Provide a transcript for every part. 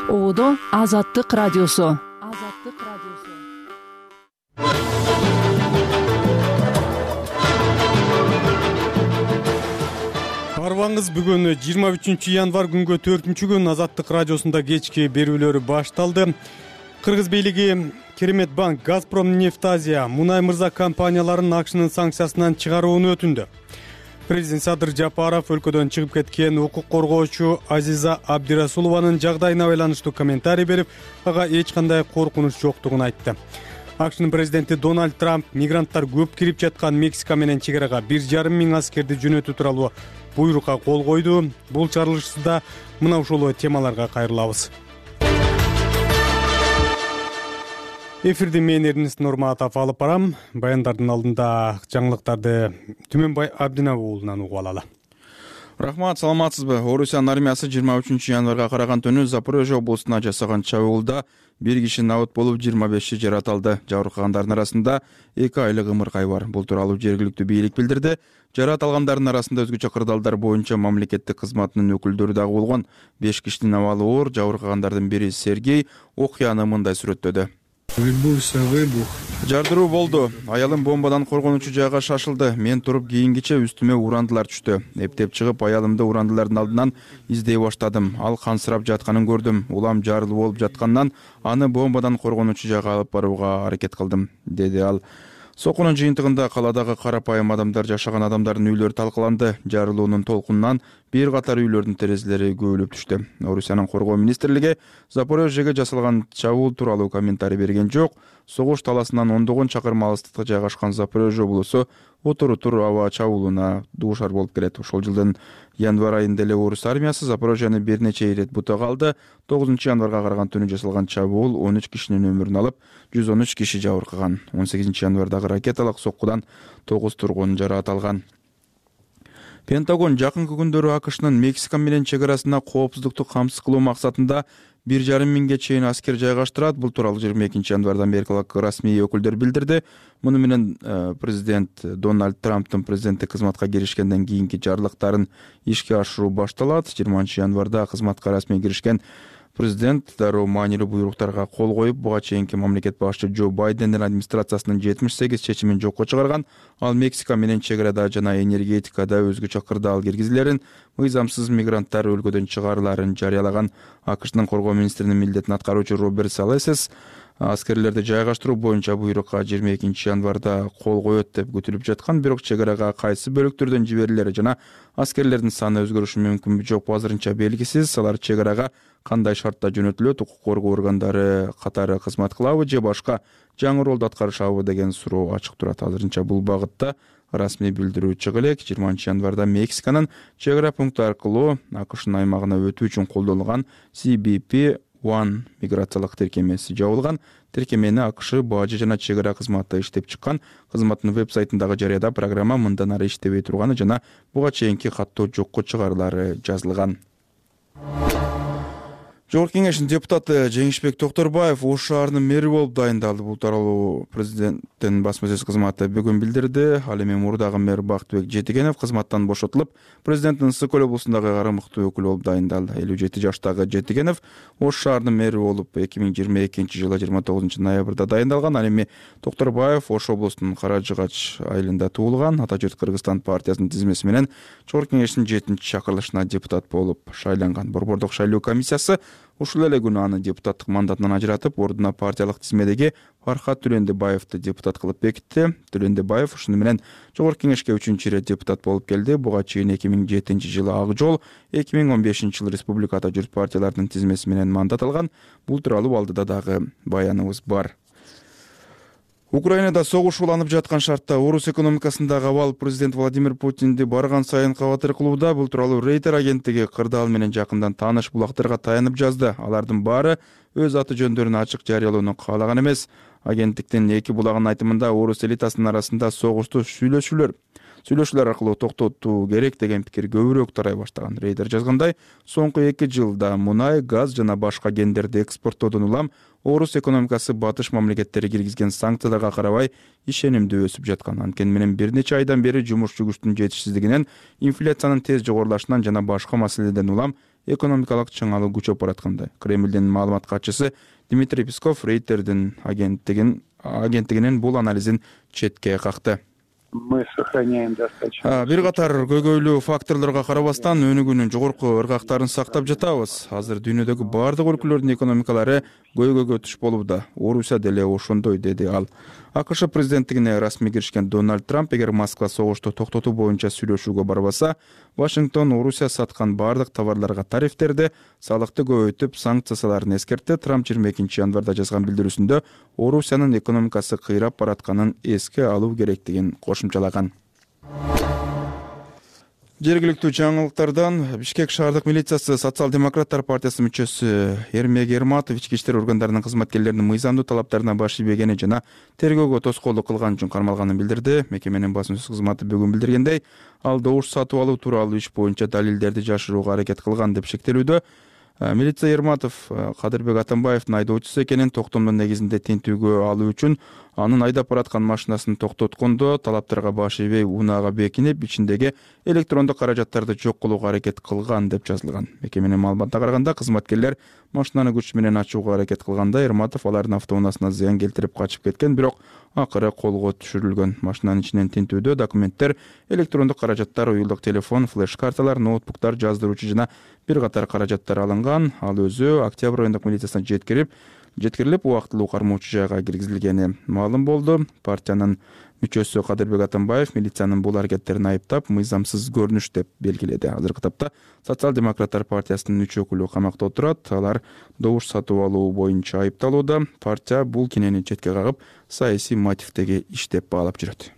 Оодо Азаттык радиосу. Арбаңыз бүгүн 23 январ күнгө 4-күн Азаттык радиосунда кечки берүүлөрү башталды. Кыргыз бийлиги Керемет банк, Газпром Нефтазия, Мунай мырза компанияларын АКШнын санкциясынан чыгарууну өтүндү. Президент Садыр Жапаров өлкөдөн чыгып кеткен укук коргоочу Азиза Абдирасулованын жагдайына байланыштуу комментарий берип, ага эч кандай коркунуч жоктугун айтты. АКШнын президенти Дональд Трамп мигранттар көп кирип жаткан Мексика менен чек-арага 1,5 миң аскерди жөнөтүү тууралуу буйрукка кол койду. Бул чарылышыбызда мына ушул темаларга кайрылабыз. Эфирди мен Эрнест Нурматов алып барам. Баяндардын алдында жаңылыктарды Түмөнбай Абдинабы уулунан угуп алалы. Рахмат, саламатсызбы? Орусиянын армиясы 23 январга караган түнү Запорожье облусуна жасаган чабуулда 1 киши набыт болуп, 25 жаратылды. Жабыркагандардын арасында 2 айлык ымыркай бар. Бул тууралуу жергиликтүү бийлик билдирди. Жарат алгандардын арасында өзгөчө кырдаалдар боюнча мамлекеттик кызматынын өкүлдөрү дагы болгон. 5 кишинин абалы оор. Жабыркагандардын бири Сергей окуяны мындай сүрөттөдү. Жардыруу болду. Аялым бомбадан коргонучу жайга шашылды. Мен туруп кийингиче үстүмө урандылар түштү. Эптеп чыгып, аялымды урандылардын алдынан издей баштадым. Ал кансырап жатканын көрдүм. Улам жарылуу болуп жаткандан аны бомбадан коргонучу жайга алып барууга аракет кылдым, деди ал. Сокунун жыйынтыгында каладагы карапайым адамдар жашаган адамдардын үйлөрү талкаланды. Жарылуунун толкунунан бир катар үйлөрдүн терезелери көбүлүп түштү. Орусиянын коргоо министрлиги Запорожьеге жасалган чабуул тууралуу комментарий берген жок. Согуш таласынан ондогон чакырым алыстыкта жайгашкан Запорожье облусу отур аба чабуулуна дуушар болуп келет. Ошол жылдын январ айында эле орус армиясы Запорожьени бир нече ирет бутага алды. 9 январга караган түнү жасалган чабуул 13 кишинин өмүрүн алып, 113 киши жабыркаган. 18 январдагы ракеталык соккудан 9 тургун жаракат алган. Пентагон жакынкы күндөрү АКШнын Мексика менен чек-арасына коопсуздукту камсыз кылуу максатында 1,5 миңге чейин аскер жайгаштырат. Бул тууралуу 22 январда америкалык расмий өкүлдөр билдирди. Муну менен президент Дональд Трамптын президенттик кызматка киришкенден кийинки жарлыктарын ишке ашыруу башталат. 20 январда кызматка расмий киришкен президент дароо маанилүү буйруктарга кол коюп, буга чейинки мамлекет башчы Джо Байдендин администрациясынын 78 чечимин жокко чыгарган. Ал Мексика менен чек-арада жана энергетикада өзгөчө кырдаал киргизилерин, мыйзамсыз мигранттар өлкөдөн чыгарыларын жарыялаган. АКШнын коргоо министринин милдетин аткаруучу Роберт Салесес аскерлерди жайгаштыруу боюнча буйрукка 22 январда кол коет деп күтүлүп жаткан, бирок чек-арага кайсы бөлүктөрдөн жиберилери жана аскерлердин саны өзгөрүшү мүмкүнбү жокпу азырынча белгисиз. Алар чек-арага кандай шартта жөнөтүлөт, укук коргоо органдары катары кызмат кылабы же башка жаңы ролду аткарышабы деген суроо ачык турат. Азырынча бул багытта расмий билдирүү чыга элек. 20 январда Мексиканын чек-ара пункту аркылуу АКШнын аймагына өтүү үчүн колдонулган CBP-1 миграциялык тиркемеси жабылган. Тиркемени АКШ бажы жана чек-ара кызматы иштеп чыккан. Кызматтын веб-сайтындагы жарыяда программа мындан ары иштебей турганы жана буга чейинки каттоо жокко чыгарылары жазылган. Жогорку кеңештин депутаты Жеңишбек Токторбаев Ош шаарынын мэри болуп дайындалды. Бул тууралуу президенттин басма сөз кызматы бүгүн билдирди. Ал эми мурдагы мэр Бактыбек Жетигенов кызматтан бошотулуп, президенттин Ысык көл облусундагы карамыктуу өкүл болуп дайындалды. 57 жаштагы Жетигенов Ош шаарынын мэри болуп 2022 жылы 29 ноябрда дайындалган. Ал эми Токторбаев Ош облусунун Каражыгач айылында туулган. Ата журт Кыргызстан партиясынын тизмеси менен Жогорку кеңештин 7-чакырылышына депутат болуп шайланган. Борбордук шайлоо комиссиясы ушул эле күнү аны депутаттык мандатынан ажыратып, ордуна партиялык тизмедеги Фархат Түлөндебаевди депутат кылып бекитти. Түлөндебаев ушуну менен Жогорку кеңешке 3-чү ирет депутат болуп келди. Буга чейин 2007 жылы Ак жол, 2015 жылы Республика Ата журт партияларынын тизмеси менен мандат алган. Бул тууралуу алдыда дагы баяныбыз бар. Украинада согуш уланып жаткан шартта орус экономикасындагы абал президент Владимир Путинди барган сайын кабатыр кылууда. Бул тууралуу Рейтер агенттиги кырдаал менен жакындан тааныш булактарга таянып жазды. Алардын баары өз аты жөндөрүн ачык жарыялоону каалаган эмес. Агенттиктин эки булагынын айтымында орус элитасынын арасында согушту сүйлөшүүлөр аркылуу токтотуу керек деген пикир көбүрөөк тарай баштаган. Рейтер жазгандай, соңку 2 жылда мунай, газ жана башка кендерди экспорттоодон улам орус экономикасы батыш мамлекеттери киргизген санкцияларга карабай ишенимдүү өсүп жаткан. Анткени менен бир нече айдан бери жумушчу күчтүн жетишсиздигинен, инфляциянын тез жогорулашынан жана башка маселелерден улам экономикалык чыңалуу күчөп бараткандай. Кремлдин маалымат катчысы Дмитрий Песков Рейтердин агенттигинин бул анализин четке какты. Мы сохраняем достаточно. Бир катар көйгөйлүү факторлорго карабастан өнүгүүнүн жогорку ыргактарын сактап жатабыз. Азыр дүйнөдөгү бардык өлкөлөрдүн экономикалары көйгөйгө туш болууда. Орусия деле ошондой, деди ал. АКШ президенттигине расмий киришкен Дональд Трамп эгер Москва согушту токтотуу боюнча сүйлөшүүгө барбаса, Вашингтон Орусия саткан бардык товарларга тарифтерди, салыкты көбөйтүп, санкцияларын эскертти. Трамп 22 январда жазган билдирүүсүндө Орусиянын экономикасы кыйрап баратканын эске алуу керектигин кошумчалаган. Жергиликтүү жаңылыктардан Бишкек шаардык милициясы Социал-демократтар партиясынын мүчөсү Эрмек Ерматов ички иштер органдарынын кызматкерлеринин мыйзамдуу талаптарына баш ийбегени жана тергөөгө тоскоолдук кылган үчүн кармалганын билдирди. Мекеменин басма сөз кызматы бүгүн билдиргендей, ал добуш сатып алуу тууралуу иш боюнча далилдерди жашырууга аракет кылган деп шектелүүдө. Милиция Ерматов Кадырбек Атамбаевдин айдоочусу экенин, токтомдун негизинде тинтүүгө алуу үчүн анын айдап бараткан машинасын токтоткондо талаптарга баш ийбей унаага бекинип, ичиндеги электрондук каражаттарды жок кылууга аракет кылган деп жазылган. Мекеменин маалыматына караганда, кызматкерлер машинаны күч менен ачууга аракет кылганда Ерматов алардын автоунаасына зыян келтирип качып кеткен, бирок акыры колго түшүрүлгөн. Машинанын ичинен тинтүүдө документтер, электрондук каражаттар, уюлдук телефон, флеш-карталар, ноутбуктар, жаздыруучу жана бир катар каражаттар алынган. Ал өзү Октябрь райондук милициясына жеткирилип, убактылуу кармоочу жайга киргизилгени маалым болду. Партиянын мүчөсү Кадырбек Атамбаев милициянын бул аракеттерин айыптап, мыйзамсыз көрүнүш деп белгиледи. Азыркы тапта Социал-демократтар партиясынын 3 өкүлү камакта отурат. Алар добуш сатып алуу боюнча айыпталууда. Партия бул кинени четке кагып, саясий мотивдеги иш деп баалап жүрөт.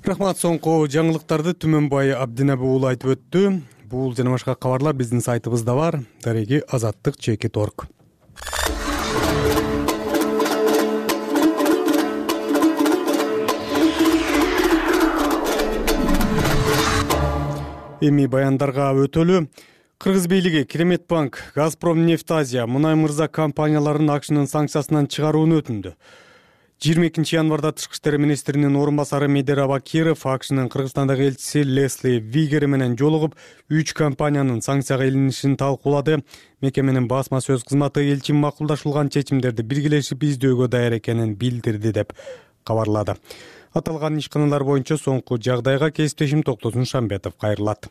Рахмат, соңку жаңылыктарды Түмөнбай Абдинабы уулу айтып өттү. Бул жана башка кабарлар биздин сайтыбызда бар. Дареги azattik.org. Эми баяндарга өтөлү. Кыргыз бийлиги Керемет банк, Газпром Нефтазия, Мунай мырза компанияларын АКШнын санкциясынан чыгарууну өтүндү. 22 январда Тышкы иштер министринин орун басары Медер Абакиров АКШнын Кыргызстандагы элчиси Лесли Вигер менен жолугуп, 3 компаниянын санкцияга илинишин талкуулады. Мекеменин басма сөз кызматы элчи макулдашылган чечимдерди биргелешип издөөгө даяр экенин билдирди деп кабарлады. Аталган ишканалар боюнча соңку жагдайга кесиптешим Токтосун Шамбетов кайрылат.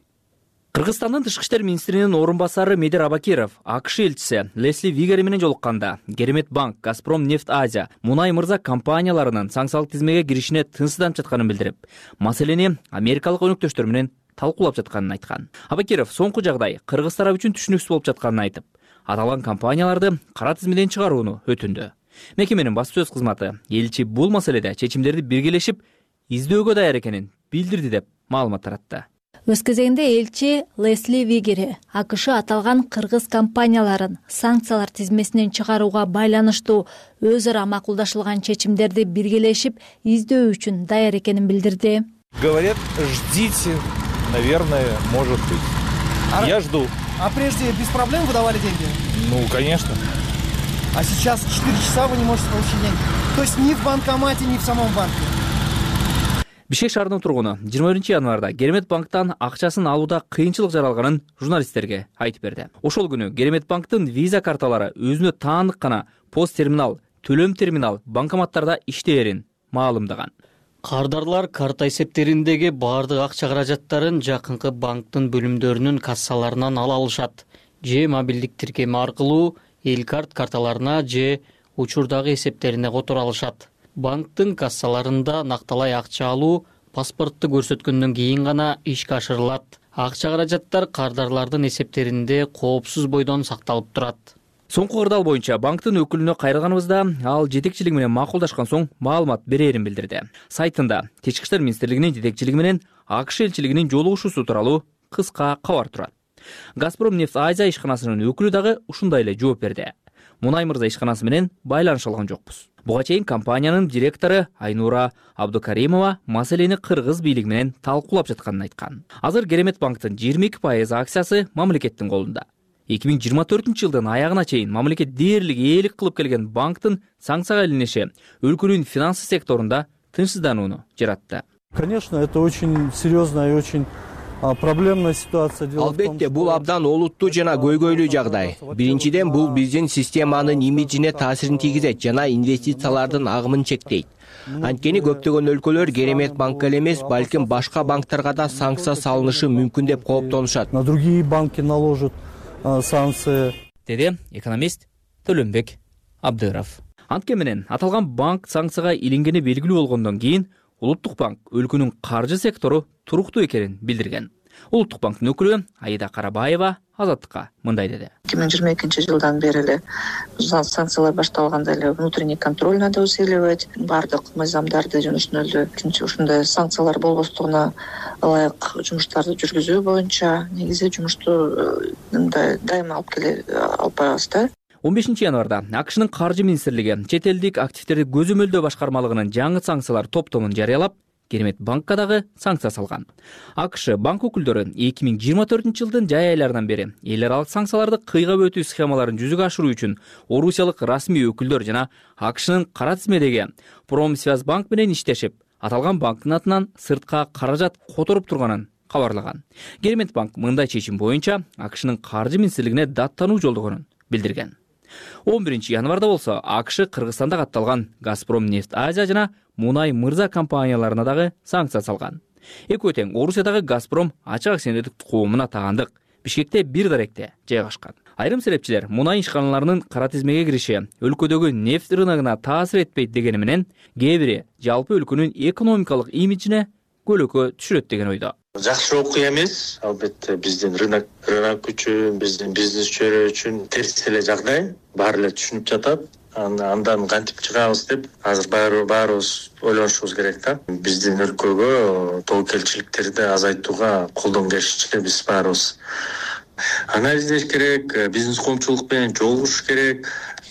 Кыргызстандын Тышкы иштер министринин орун басары Медер Абакиров АКШ элчиси Лесли Вигер менен жолукканда Керемет банк, Газпром Нефтазия, Мунай мырза компанияларынын санкциялык тизмеге киришине тынчсызданып жатканын билдирип, маселени америкалык өнөктөштөр менен талкуулап жатканын айткан. Абакиров соңку жагдай кыргыз тарап үчүн түшүнүксүз болуп жатканын айтып, аталган компанияларды кара тизмеден чыгарууну өтүндү. Мекеменин басма сөз кызматы элчи бул маселеде чечимдерди биргелешип издөөгө даяр экенин билдирди деп маалымат таратты. Өз кезегинде элчи Лесли Вигер АКШ аталган кыргыз компанияларын санкциялар тизмесинен чыгарууга байланыштуу өз ара макулдашылган чечимдерди биргелешип издөө үчүн даяр экенин билдирди. Говорят, ждите, наверное, может быть. Я жду. А прежде без проблем выдавали деньги? Ну, конечно. А сейчас 4 часа вы не можете получить деньги? То есть ни в банкомате, ни в самом банке? Бишкек шаарынын тургуну 21 январда Керемет банктан акчасын алууда кыйынчылык жаралганын журналисттерге айтып берди. Ошол күнү Керемет банктын виза карталары өзүнө таандык гана пост терминал, төлөм терминал банкоматтарда иштээрин маалымдаган. Кардарлар карта эсептериндеги бардык акча каражаттарын жакынкы банктын бөлүмдөрүнүн кассаларынан ала алышат. Же мобилдик тиркеме аркылуу элкарт карталарына же учурдагы эсептерине которо алышат. Банктын кассаларында накталай акча алуу паспортты көрсөткөндөн кийин гана ишке ашырылат. Акча каражаттар кардарлардын эсептеринде коопсуз бойдон сакталып турат. Соңку кырдаал боюнча банктын өкүлүнө кайрылганыбызда ал жетекчилиги менен макулдашкан соң маалымат берерин билдирди. Сайтында Тышкы иштер министрлигинин жетекчилиги менен АКШ элчилигинин жолугушуусу тууралуу кыска кабар турат. Газпром Нефтазия ишканасынын өкүлү дагы ушундай эле жооп берди. Мунай мырза ишканасы менен байланыша алган жокпуз. Буга чейин компаниянын директору Айнура Абдукаримова маселени кыргыз бийлиги менен талкуулап жатканын айткан. Азыр Керемет банктын 22% акциясы мамлекеттин колунда. 2024-жылдын аягына чейин мамлекет дээрлик ээлик кылып келген банктын санкцияга илиниши өлкөнүн финансы секторунда тынчсызданууну жаратты. Конечно, это очень серьезная и очень Проблемная ситуация. Албетте, бул абдан олуттуу жана көйгөйлүү жагдай. Биринчиден, бул биздин системанын имиджине таасирин тийгизет жана инвестициялардын агымын чектейт. Анткени көптөгөн өлкөлөр Керемет банкка эле эмес, балким башка банктарга да санкция салынышы мүмкүн деп кооптонушат. На другие банки наложат санкции. Деди экономист Төлөнбек Абдыров. Антке менен аталган банк санкцияга илингени белгилүү болгондон кийин Улуттук банк өлкөнүн каржы сектору туруктуу экенин билдирген. Улуттук банктын өкүлү Аида Карабаева Азаттыкка мындай деди. 2022 жылдан бери эле санкциялар башталганда эле внутренний контроль надо усиливать. Бардык мыйзамдарды жана ушундай санкциялар болбостугуна ылайык жумуштарды жүргүзүү боюнча негизи жумушту дайыма алып барабыз да. 15 январда АКШнын каржы министрлиги чет элдик активдерди көзөмөлдөө башкармалыгынын жаңы санкциялар топтомун жарыялап, Керемет банкка дагы санкция салган. АКШ банк өкүлдөрү 2024 жылдын жай айларынан бери эл аралык санкцияларды кыйгап өтүү схемаларын жүзүгө ашыруу үчүн орусиялык расмий өкүлдөр жана АКШнын кара тизмедеги Промсвязьбанк менен иштешип, аталган банктын атынан сыртка каражат которуп турганын кабарлаган. Керемет банк мындай чечим боюнча АКШнын каржы министрлигине даттануу жолдогонун билдирген. 11 январда болсо АКШ Кыргызстанда катталган Газпром Нефть Азия жана Мунай Мырза компанияларына дагы санкция салган. Экөө тең Орусиядагы Газпром ачык акционердик коомуна таандык Бишкекте бир даректе жайгашкан. Айрым серепчилер мунай ишканаларынын кара тизмеге кириши өлкөдөгү нефть рыногуна таасир этпейт дегени менен, кээ бири жалпы өлкөнүн экономикалык имиджине көлөкө түшүрөт деген ойдо. Жакшы окуя эмес, албетте биздин рынок үчүн, биздин бизнесчилер үчүн терс эле жагдай, баары эле түшүнүп жатат. Андан кантип чыгабыз деп азыр баарыбыз ойлонушубуз керек да. Биздин өлкөгө тобокелчиликтерди азайтууга колдон келишинче биз баарыбыз анализдеш керек, бизнес коомчулук менен жолугушуш керек,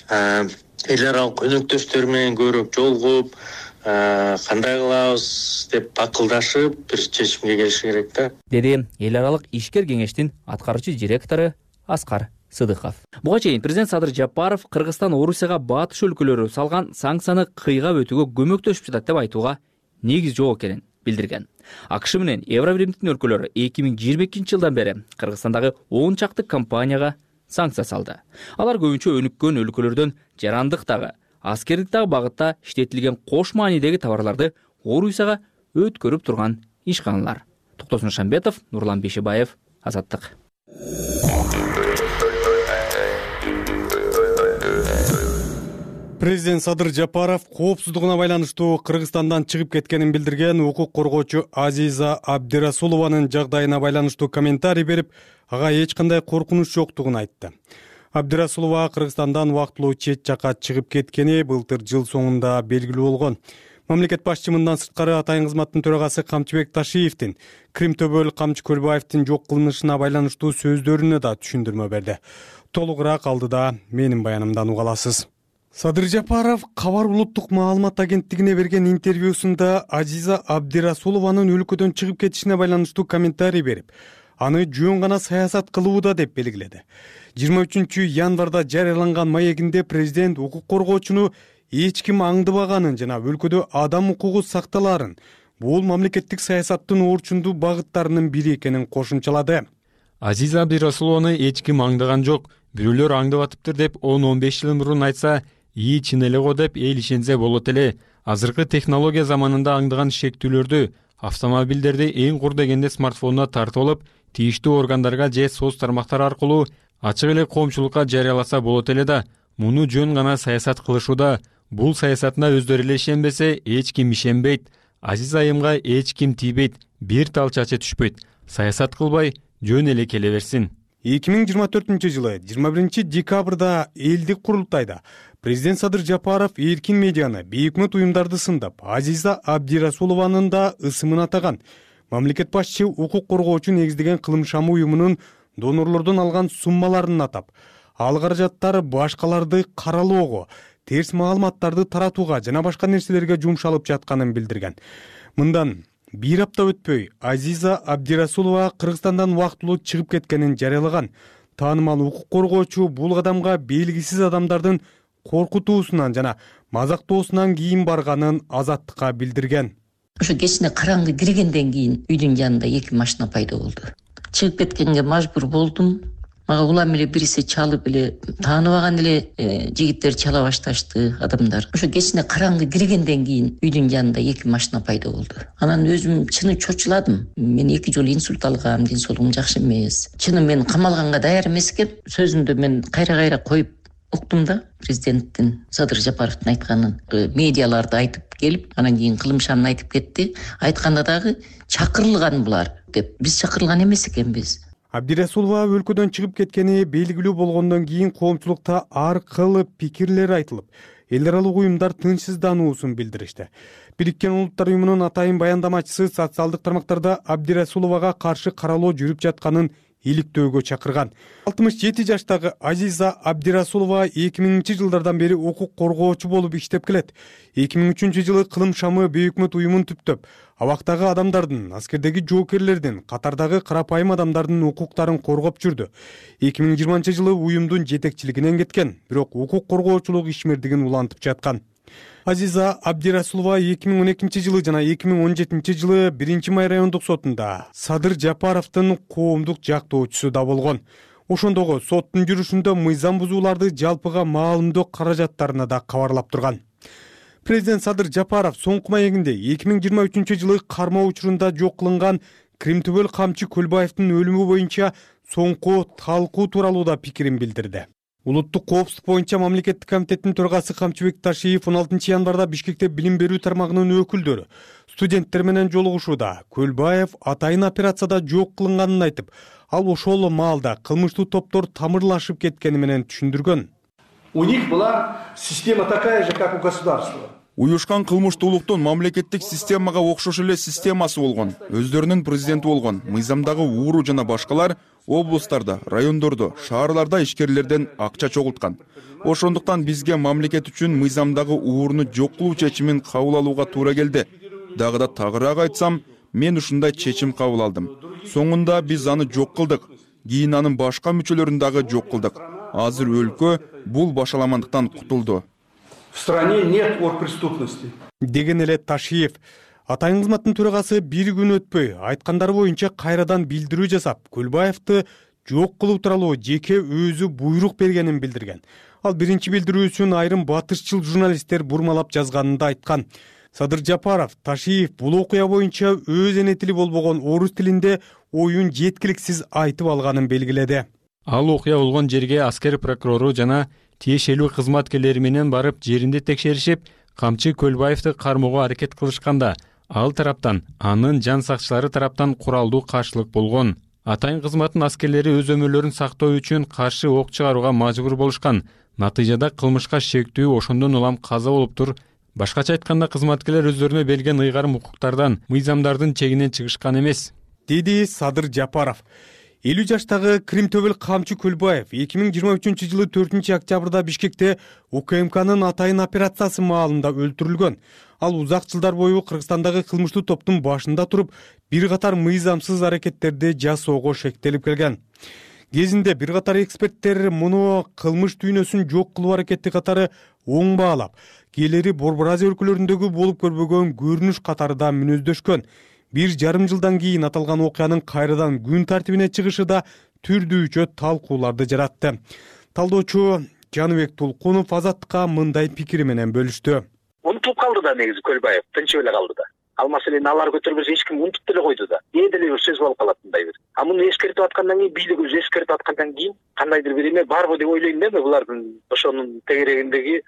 эл аралык өнөктөштөр менен көбүрөөк жолугуп, кандай кылабыз деп акылдашып бир чечимге келиш керек да. Деди эл аралык ишкер кеңештин аткаруучу директору Аскар Сыдыков. Буга чейин президент Садыр Жапаров Кыргызстан Орусияга батыш өлкөлөрү салган санкцияны кыйгап өтүүгө көмөктөшүп жатат деп айтууга негиз жок экенин билдирген. АКШ менен Евробиримдин өлкөлөрү 2022 жылдан бери Кыргызстандагы 10 чакты компанияга санкция салды. Алар көбүнчө өнүккөн өлкөлөрдөн жарандык дагы, аскердик дагы багытта иштетилген кош маанидеги товарларды Орусияга өткөрүп турган ишканалар. Токтосун Шамбетов, Нурлан Бешебаев, Азаттык. Президент Садыр Жапаров коопсуздугуна байланыштуу Кыргызстандан чыгып кеткенин билдирген укук коргоочу Азиза Абдирасулованын жагдайына байланыштуу комментарий берип, ага эч кандай коркунуч жоктугун айтты. Абдирасулова Кыргызстандан убактылуу чет жакка чыгып кеткени былтыр жыл соңунда белгилүү болгон. Мамлекет башчы мындан сырткары Атайын кызматтын төрагасы Камчыбек Ташиевдин Крим Төбөл Камчы Көлбаевдин жок кылынышына байланыштуу сөздөрүнө да түшүндүрмө берди. Толугураак алдыда менин баянымдан уга аласыз. Садыр Жапаров Кабар улуттук маалымат агенттигине берген интервьюсунда Азиза Абдирасулованын өлкөдөн чыгып кетишине байланыштуу комментарий берип, аны жөн гана саясат кылууда деп белгиледи. 23 январда жарыяланган маегинде президент укук коргоочуну эч ким аңдыбаганын жана өлкөдө адам укугу сакталаарын, бул мамлекеттик саясаттын орчундуу багыттарынын бири экенин кошумчалады. Азиза Абдирасулованы эч ким аңдаган жок, бирөөлөр аңдып атыптыр деп 10-15 жыл мурун айтса, чын эле го деп эл ишенсе болот эле. Азыркы технология заманында аңдаган шектүүлөрдү, автомобилдерди эң кур дегенде смартфонуна тартып алып, тийиштүү органдарга же соц тармактар аркылуу ачык эле коомчулукка жарыяласа болот эле да. Муну жөн гана саясат кылышууда. Бул саясатына өздөрү эле ишенбесе, эч ким ишенбейт. Азиз айымга эч ким тийбейт, бир тал чачы түшпөйт. Саясат кылбай, жөн эле келе берсин. 2024 жылы 21 декабрда элдик курултайда президент Садыр Жапаров эркин медианы, бейөкмөт уюмдарды сындап, Азиза Абдирасулованын да ысымын атаган. Мамлекет башчы укук коргоочу негиздеген кылым шамы уюмунун донорлордон алган суммаларын атап, ал каражаттар башкаларды каралоого, терс маалыматтарды таратууга жана башка нерселерге жумшалып жатканын билдирген. Мындан бир апта өтпөй Азиза Абдирасулова Кыргызстандан убактылуу чыгып кеткенин жарыялаган. Таанымал укук коргоочу бул кадамга белгисиз адамдардын коркутуусунан жана мазактоосунан кийин барганын Азаттыкка билдирген. Ошо кечине караңгы киргенден кийин үйдүн жанында 2 машина пайда болду. Чыгып кеткенге мажбур болдум. Мага улам эле бирсе чалып эле тааныбаган эле жигиттер чала башташты, адамдар. Ошо кечине караңгы киргенден кийин үйдүн жанында 2 машина пайда болду. Анан өзүм чыны чочуладым. Мен 2 жолу инсульт алгам, ден соолугум жакшы эмес. Чыны мен камалганга даяр эмес экен. Сөзүмдү мен кайра коюп уктум да, президенттин Садыр Жапаровдун айтканын. Медиаларды айтып келип, анан кийин кылымшанын айтып кетти. Айтканда дагы чакырылган булар деп. Биз чакырылган эмес экенбиз. Абдирасулова өлкөдөн чыгып кеткени белгилүү болгондон кийин коомчулукта ар кыл пикирлер айтылып, эл аралык уюмдар тынчсыздануусун билдиришти. Бириккен Улуттар уюмунун атайын баяндамачысы социалдык тармактарда Абдирасуловага каршы каралоо жүрүп жатканын иликтөөгө чакырган. 67 жаштагы Азиза Абдирасулова 2000-жылдардан бери укук коргоочу болуп иштеп келет. 2003-жылы кылым шамы бейөкмөт уюмун түптөп, абактагы адамдардын, аскердеги жоокерлердин, катардагы карапайым адамдардын укуктарын коргоп жүрдү. 2020-жылы уюмдун жетекчилигинен кеткен, бирок укук коргоочулук ишмердигин улантып жаткан. Азиза Абдирасулова 2012-жылы жана 2017-жылы 1-май райондук сотунда Садыр Жапаровдун коомдук жактоочусу да болгон. Ошондогу соттун жүрүшүндө мыйзам бузууларды жалпыга маалымдоо каражаттарына да кабарлап турган. Президент Садыр Жапаров соңку маегинде 2023-жылы кармоо учурунда жок кылынган Кримтөбөл камчы Көлбаевдин өлүмү боюнча соңку талкуу тууралуу да пикирин билдирди. Улуттук коопсуздук боюнча мамлекеттик комитеттин төрагасы Камчыбек Ташиев 16-январда Бишкекте билим берүү тармагынын өкүлдөрү студенттер менен жолугушууда Көлбаев атайын операцияда жок кылынганын айтып, ал ошол маалда кылмыштуу топтор тамырлашып кеткени менен түшүндүргөн. У них была система такая же, как у государства. Уюшкан кылмыштуулуктун мамлекеттик системага окшош эле системасы болгон, өздөрүнүн президенти болгон, мыйзамдагы ууру жана башкалар облустарда, райондордо, шаарларда ишкерлерден акча чогулткан. Ошондуктан бизге мамлекет үчүн мыйзамдагы ууруну жок кылуу чечимин кабыл алууга туура келди. Дагы да тагыраак айтсам, мен ушундай чечим кабыл алдым. Соңунда биз аны жок кылдык, кийин анын башка мүчөлөрүн дагы жок кылдык. Азыр өлкө бул башаламандыктан кутулду. В стране нет оргпреступности. Деген эле Ташиев. Атайын кызматтын төрагасы бир күн өтпөй айткандары боюнча кайрадан билдирүү жасап, Көлбаевди жок кылуу тууралуу жеке өзү буйрук бергенин билдирген. Ал биринчи билдирүүсүн айрым батышчыл журналисттер бурмалап жазганын да айткан. Садыр Жапаров, Ташиев бул окуя боюнча өз эне тили болбогон орус тилинде оюн жеткиликсиз айтып алганын белгиледи. Ал окуя болгон жерге аскер прокурору жана тиешелүү кызматкерлери менен барып жеринде текшеришип, Камчы Көлбаевди кармоого аракет кылышканда, ал тараптан анын жан сакчылары тараптан куралдуу каршылык болгон. Атайын кызматтын аскерлери өз өмүрлөрүн сактоо үчүн каршы ок чыгарууга мажбур болушкан. Натыйжада кылмышка шектүү ошондон улам каза болуптур. Башкача айтканда, кызматкерлер өздөрүнө берилген ыйгарым укуктардан, мыйзамдардын чегинен чыгышкан эмес, деди Садыр Жапаров. 50 жаштагы Кримтөбөл камчы Көлбаев 2023-жылы 4-октябрда Бишкекте УКМКнын атайын операциясы маалында өлтүрүлгөн. Ал узак жылдар бою Кыргызстандагы кылмыштуу топтун башында туруп, бир катар мыйзамсыз аракеттерди жасоого шектелип келген. Кезинде бир катар эксперттер муну кылмыш дүйнөсүн жок кылуу аракети катары оң баалап, кээлери Борбор Азия өлкөлөрүндөгү болуп көрбөгөн көрүнүш катары да мүнөздөшкөн. 1,5 жылдан кийин аталган окуянын кайрадан күн тартибине чыгышы да түрдүүчө талкууларды жаратты. Талдоочу Жаныбек Тулкунов Азаттыкка мындай пикири менен бөлүштү. Унутулуп калды да негизи Көлбаев, тынчып эле калды да. Ал маселени алар көтөрбөсө эч ким унутуп деле койду да. Деле бир сөз болуп калат мындай бир. А муну эскертип аткандан кийин, бийлик өзү эскертип аткандан кийин кандайдыр бир эме барбы деп ойлойм да, булардын ошонун тегерегиндеги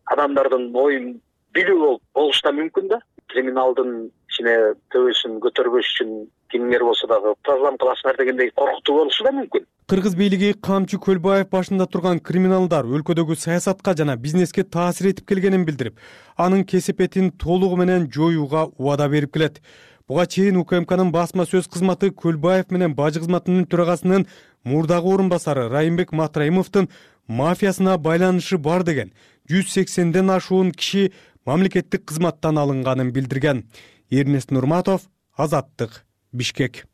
адамдардын оюн билүү болушу да мүмкүн да. Криминалдын ичине төбөсүн көтөрбөш үчүн кимдер болсо дагы программа кыласыңар дегендей коркутуу болушу да мүмкүн. Кыргыз бийлиги Камчы Көлбаев башында турган криминалдар өлкөдөгү саясатка жана бизнеске таасир этип келгенин билдирип, анын кесепетин толугу менен жоюуга убада берип келет. Буга чейин УКМКнын басма сөз кызматы Көлбаев менен бажы кызматынын төрагасынын мурдагы орун басары Райымбек Матраимовдун мафиясына байланышы бар деген 180ден ашуун киши мамлекеттик кызматтан алынганын билдирген. Эрнест Нурматов, Азаттык, Бишкек.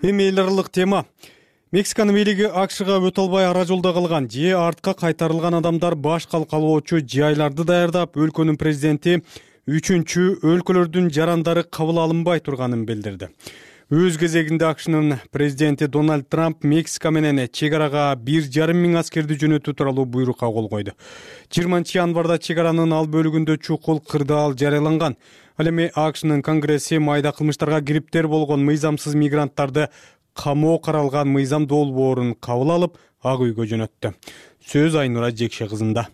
Эми эл аралык тема. Мексиканын бийлиги АКШга өтө албай ара жолдо калган же артка кайтарылган адамдар баш калкалоочу жайларды даярдап, өлкөнүн президенти үчүнчү өлкөлөрдүн жарандары кабыл алынбай турганын билдирди. Өз кезегинде АКШнын президенти Дональд Трамп Мексика менен чек арага 1,5 миң аскерди жөнөтүү тууралуу буйрукка кол койду. 20 январда чек аранын ал бөлүгүндө чукул кырдаал жарыяланган. Ал эми АКШнын Конгресси майда кылмыштарга кириптер болгон мыйзамсыз мигранттарды камоо каралган мыйзам долбоорун кабыл алып, ак үйгө жөнөттү. Сөз Айнура Жекше кызында.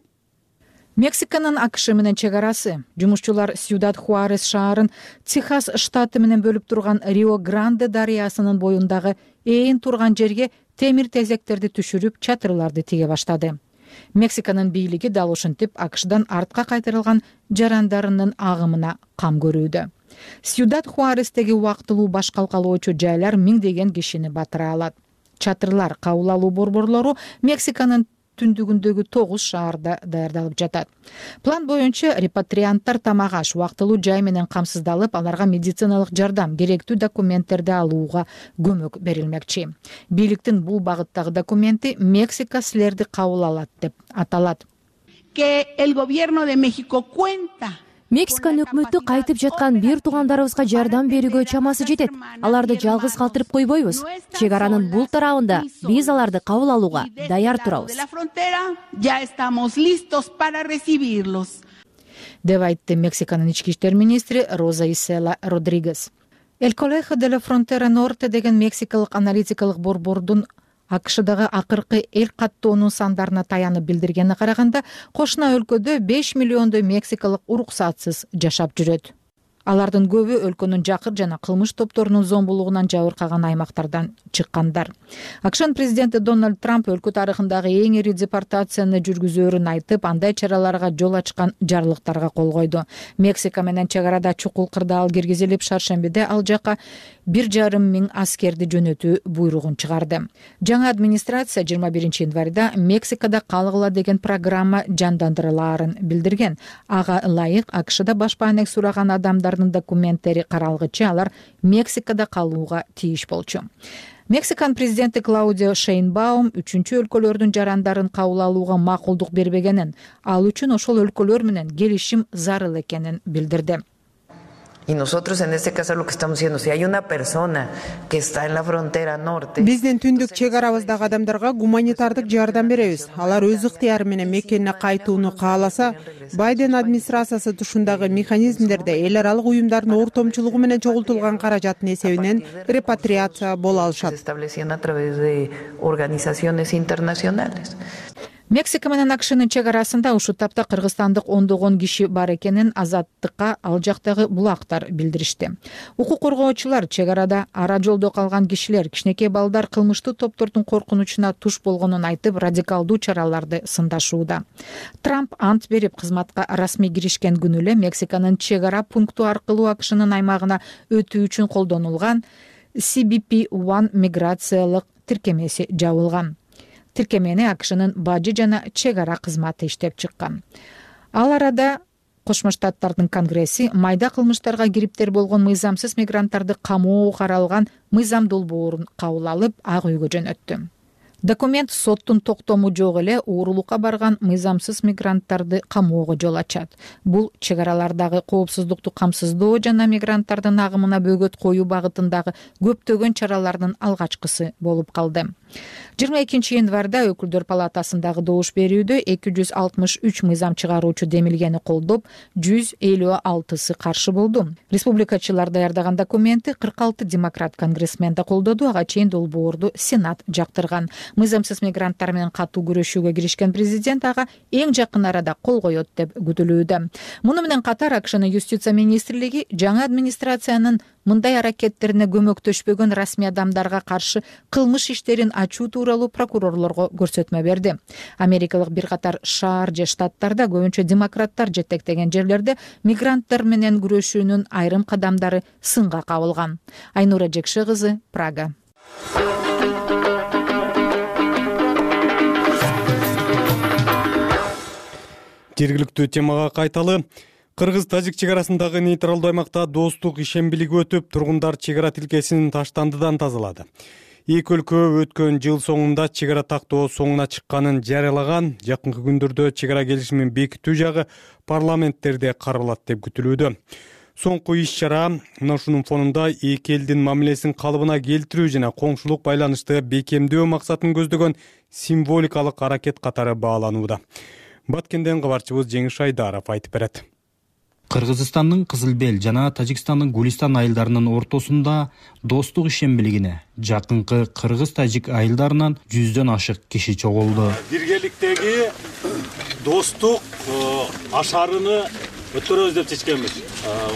Мексиканын АКШ менен чек арасы. Жумушчулар Сьюдад Хуарес шаарын Техас штаты менен бөлүп турган Рио Гранде дарыясынын боюндагы ээн турган жерге темир тезектерди түшүрүп, чатырларды тиге баштады. Мексиканын бийлиги дал ушинтип АКШдан артка кайтарылган жарандарынын агымына кам көрүүдө. Сьюдад Хуарестеги убактылуу баш калкалоочу жайлар миңдеген кишини батыра алат. Чатырлар кабыл алуу борборлору Мексиканын түндүгүндөгү 9 шаарда даярдалып жатат. План боюнча репатрианттар тамак-аш, убактылуу жай менен камсыздалып, аларга медициналык жардам, керектүү документтерди алууга көмөк берилмекчи. Бийликтин бул багыттагы документи Мексика силерди кабыл алат деп аталат. Мексиканын өкмөтү кайтып жаткан бир туугандарыбызга жардам берүүгө чамасы жетет. Аларды жалгыз калтырып койбойбуз. Чек аранын бул тарабында биз аларды кабыл алууга даяр турабыз. Деп айтты Мексиканын ички иштер министри Роза Исела Родригес. El Colegio de la Frontera Norte деген мексикалык аналитикалык борбордун АКШдагы акыркы эл каттоонун сандарына таянып билдиргенине караганда, кошуна өлкөдө 5 миллиондой мексикалык уруксатсыз жашап жүрөт. Алардын көбү өлкөнүн жакыр жана кылмыш топторунун зомбулугунан жабыркаган аймактардан чыккандар. АКШнын президенти Дональд Трамп өлкө тарыхындагы эң ири депортацияны жүргүзөөрүн айтып, андай чараларга жол ачкан жарлыктарга кол койду. Мексика менен чек арада чукул кырдаал киргизилип, шаршембиде ал жака 1,5 миң аскерди жөнөтүү буйругун чыгарды. Жаңы администрация 21 январда Мексикада калгыла деген программа жандандырылаарын билдирген. Ага ылайык АКШда баш баанек сураган адамдардын документтери каралгычы алар Мексикада калууга тийиш болчу. Мексиканын президенти Клаудио Шейнбаум үчүнчү өлкөлөрдүн жарандарын кабыл алууга макулдук бербегенин, ал үчүн ошол өлкөлөр менен келишим зарыл экенин билдирди. Y nosotros en este caso lo que estamos diciendo, si hay una persona que está en la frontera norte. Биздин түндүк чек арабыздагы адамдарга гуманитардык жардам беребиз. Алар өз ыктыяры менен мекенине кайтууну кааласа, Байден администрациясы тушундагы механизмдерде эл аралык уюмдардын ортомчулугу менен чогултулган каражаттын эсебинен репатриация боло алышат. Мексика менен АКШнын чек арасында ушул тапта кыргызстандык ондогон киши бар экенин Азаттыкка ал жактагы булактар билдиришти. Укук коргоочулар чек арада ара жолдо калган кишилер, кичинекей балдар кылмыштуу топтордун коркунучуна туш болгонун айтып, радикалдуу чараларды сындашууда. Трамп ант берип кызматка расмий киришкен күнү эле Мексиканын чек ара пункту аркылуу АКШнын аймагына өтүү үчүн колдонулган CBP-1 миграциялык тиркемеси жабылган. Тиркемени АКШнын бажы жана чек ара кызматы иштеп чыккан. Ал арада Кошмо Штаттардын Конгресси майда кылмыштарга кириптер болгон мыйзамсыз мигранттарды камоого каралган мыйзам долбоорун кабыл алып, ак үйгө жөнөттү. Документ соттун токтому жок эле уурулукка барган мыйзамсыз мигранттарды камоого жол ачат. Бул чек аралардагы коопсуздукту камсыздоо жана мигранттардын агымына бөгөт коюу багытындагы көптөгөн чаралардын алгачкысы болуп калды. 22 январда өкүлдөр палатасындагы добуш берүүдө 263 мыйзам чыгаруучу демилгени колдоп, 156сы каршы болду. Республикачылар даярдаган документти 46 демократ конгрессмен да колдоду, ага чейин долбоорду Сенат жактырган. Мыйзамсыз мигранттар менен катуу күрөшүүгө киришкен президент ага эң жакын арада кол коет деп күтүлүүдө. Муну менен катар АКШнын юстиция министрлиги жаңы администрациянын мындай аракеттерине көмөктөшпөгөн расмий адамдарга каршы кылмыш иштерин ачуу тууралуу прокурорлорго көрсөтмө берди. Америкалык бир катар шаар же штаттарда, көбүнчө демократтар жетектеген жерлерде мигранттар менен күрөшүүнүн айрым кадамдары сынга кабылган. Айнура Жекше кызы, Прага. Жергиликтүү темага кайталы. Кыргыз-тажик чек арасындагы нейтралдуу аймакта достук ишембилиги өтүп, тургундар чек ара тилкесин таштандыдан тазалады. Эки өлкө өткөн жыл соңунда чек ара тактоо соңуна чыкканын жарыялаган. Жакынкы күндөрдө чек ара келишимин бекитүү жагы парламенттерде каралат деп күтүлүүдө. Соңку иш-чара мына ушунун фонунда эки элдин мамилесин калыбына келтирүү жана коңшулук байланышты бекемдөө максатын көздөгөн символикалык аракет катары бааланууда. Баткенден кабарчыбыз Жеңиш Айдаров айтып берет. Кыргызстандын Кызылбел жана Тажикстандын Гулистан айылдарынын ортосунда достук ишембилигине жакынкы кыргыз-тажик айылдарынан 100дөн ашык киши чогулду. Биргеликтеги достук ашарыны өткөрөбүз деп чечкенбиз.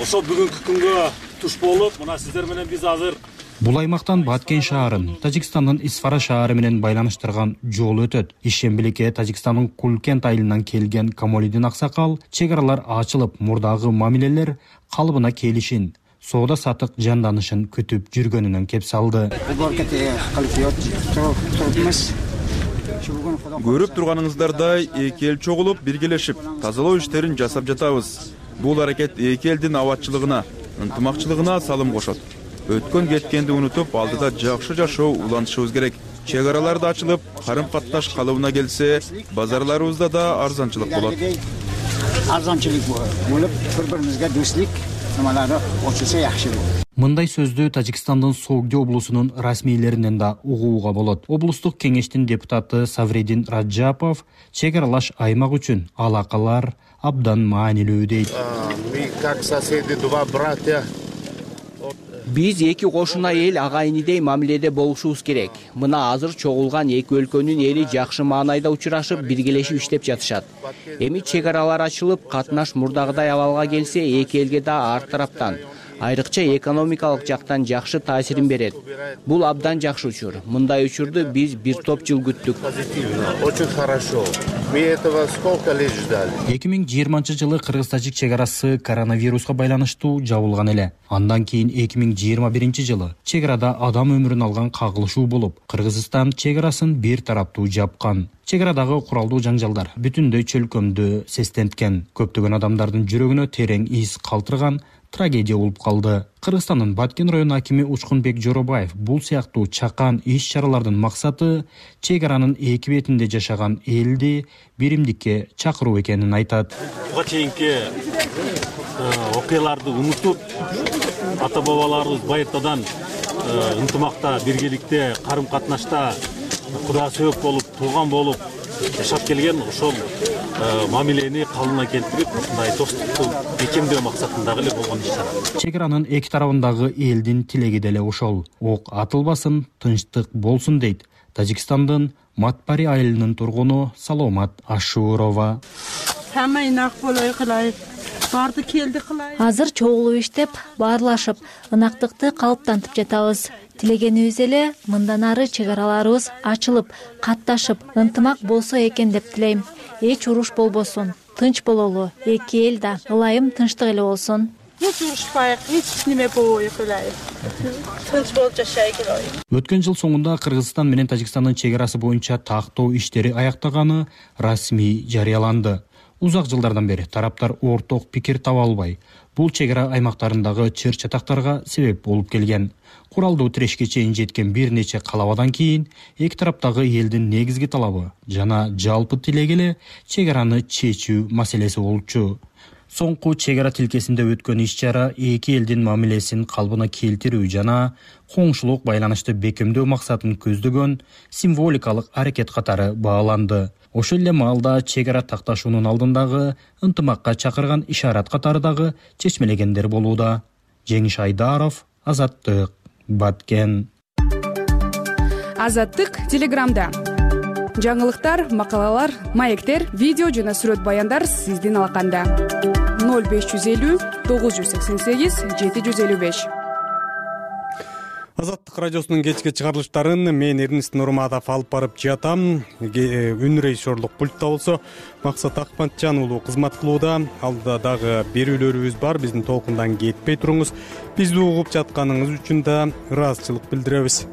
Ошол бүгүнкү күнгө туш болуп, мына сиздер менен биз азыр бул аймактан Баткен шаарын Тажикстандын Исфара шаары менен байланыштырган жол өтөт. Ишембиликке Тажикстандын Кулкент айылынан келген Камолидин аксакал чек аралар ачылып, мурдагы мамилелер калыбына келишин, соода сатык жанданышын күтүп жүргөнүнөн кеп салды. Көрүп турганыңыздардай эки эл чогулуп, биргелешип, тазалоо иштерин жасап жатабыз. Бул аракет эки элдин абадчылыгына, ынтымакчылыгына салым кошот. Өткөн кеткенди унутуп, алдыда жакшы жашоо улантышыбыз керек. Чек араларды ачылып, карым-катташ калыбына келсе, базарларыбызда да арзанчылык болот. Арзанчылык болуп, бири-бирибизге достук намалары очулса жакшы болот. Мындай сөздү Тажикстандын Согди облусунун расмийлеринен да угууга болот. Облустук кеңештин депутаты Савредин Раджапов чек аралаш аймак үчүн алакалар абдан маанилүү дейт. Биз эки кошуна эл агайынидей мамиледе болушубуз керек. Мына азыр чогулган эки өлкөнүн эли жакшы маанайда учурашып, биргелешип иштеп жатышат. Эми чек аралар ачылып, катнаш мурдагыдай абалга келсе, эки элге да ар тараптан, айрыкча экономикалык жактан жакшы таасирин берет. Бул абдан жакшы учур. Мындай учурду биз бир топ жыл күттүк. Очень хорошо. Мы этого сколько лет ждали. 2020-жылы кыргыз-тажик чек арасы коронавируска байланыштуу жабылган эле. Андан кийин 2021-жылы чек арада адам өмүрүн алган кагылышуу болуп, Кыргызстан чек арасын бир тараптуу жапкан. Чек арадагы куралдуу жаңжалдар бүтүндөй чөлкөмдү сестенткен. Көптөгөн адамдардын жүрөгүнө терең из калтырган трагедия болуп калды. Кыргызстандын Баткен району акими Учкунбек Жоробаев бул сыяктуу чакан иш-чаралардын максаты чек аранын эки бетинде жашаган элди биримдикке чакыруу экенин айтат. Буга чейинки окуяларды унутуп, ата-бабаларыбыз байыртадан ынтымакта, биргеликте, карым-катнашта Кудайга сөйөк болуп, тууган болуп жашап келген, ошол мамилени калыбына келтирип, ушундай достукту бекемдөө максатындагы эле болгон иш-чара. Чек аранын эки тарабындагы элдин тилеги деле ошол. Ок атылбасын, тынчтык болсун дейт Тажикстандын Матпари айылынын тургуну Саломат Ашурова. Азыр чогулуп иштеп, баарлашып, ынактыкты калыптантып жатабыз. Тилегенибиз эле мындан ары чек араларыбыз ачылып, катташып, ынтымак болсо экен деп тилейм. Эч уруш болбосун, тынч бололу, эки эл да ылайым тынчтык эле болсун. Эч урушпайык, эч неме болбойт эле. Тынч болуп жашайык эле. Өткөн жыл соңунда Кыргызстан менен Тажикстандын чек арасы боюнча тактоо иштери аяктаганы расмий жарыяланды. Узак жылдардан бери тараптар орток пикир таба албай, бул чек ара аймактарындагы чыр-чатактарга себеп болуп келген. Куралдуу тирешке чейин жеткен бир нече калабадан кийин эки тараптагы элдин негизги талабы жана жалпы тилеги эле чек араны чечүү маселеси болчу. Соңку чек ара тилкесинде өткөн иш-чара эки элдин мамилесин калыбына келтирүү жана коңшулук байланышты бекемдөө максатын көздөгөн символикалык аракет катары бааланды. Ошол эле маалда чек ара такташуунун алдындагы ынтымакка чакырган ишарат катары дагы чечмелегендер болууда. Жеңиш Айдаров, Азаттык, Баткен. Азаттык Телеграмда. Жаңылыктар, макалалар, маектер, видео жана сүрөт баяндар сиздин алаканда. 0550 988 755. Азаттык радиосунун кечки чыгарылыштарын мен Эрнест Нурматов алып барып жатам. Үн режиссерлук пультта болсо Максат Акматжан уулу кызмат кылууда. Алдыда дагы берүүлөрүбүз бар. Биздин толкундан кетпей туруңуз. Бизди угуп жатканыңыз үчүн да ыраазычылык билдиребиз.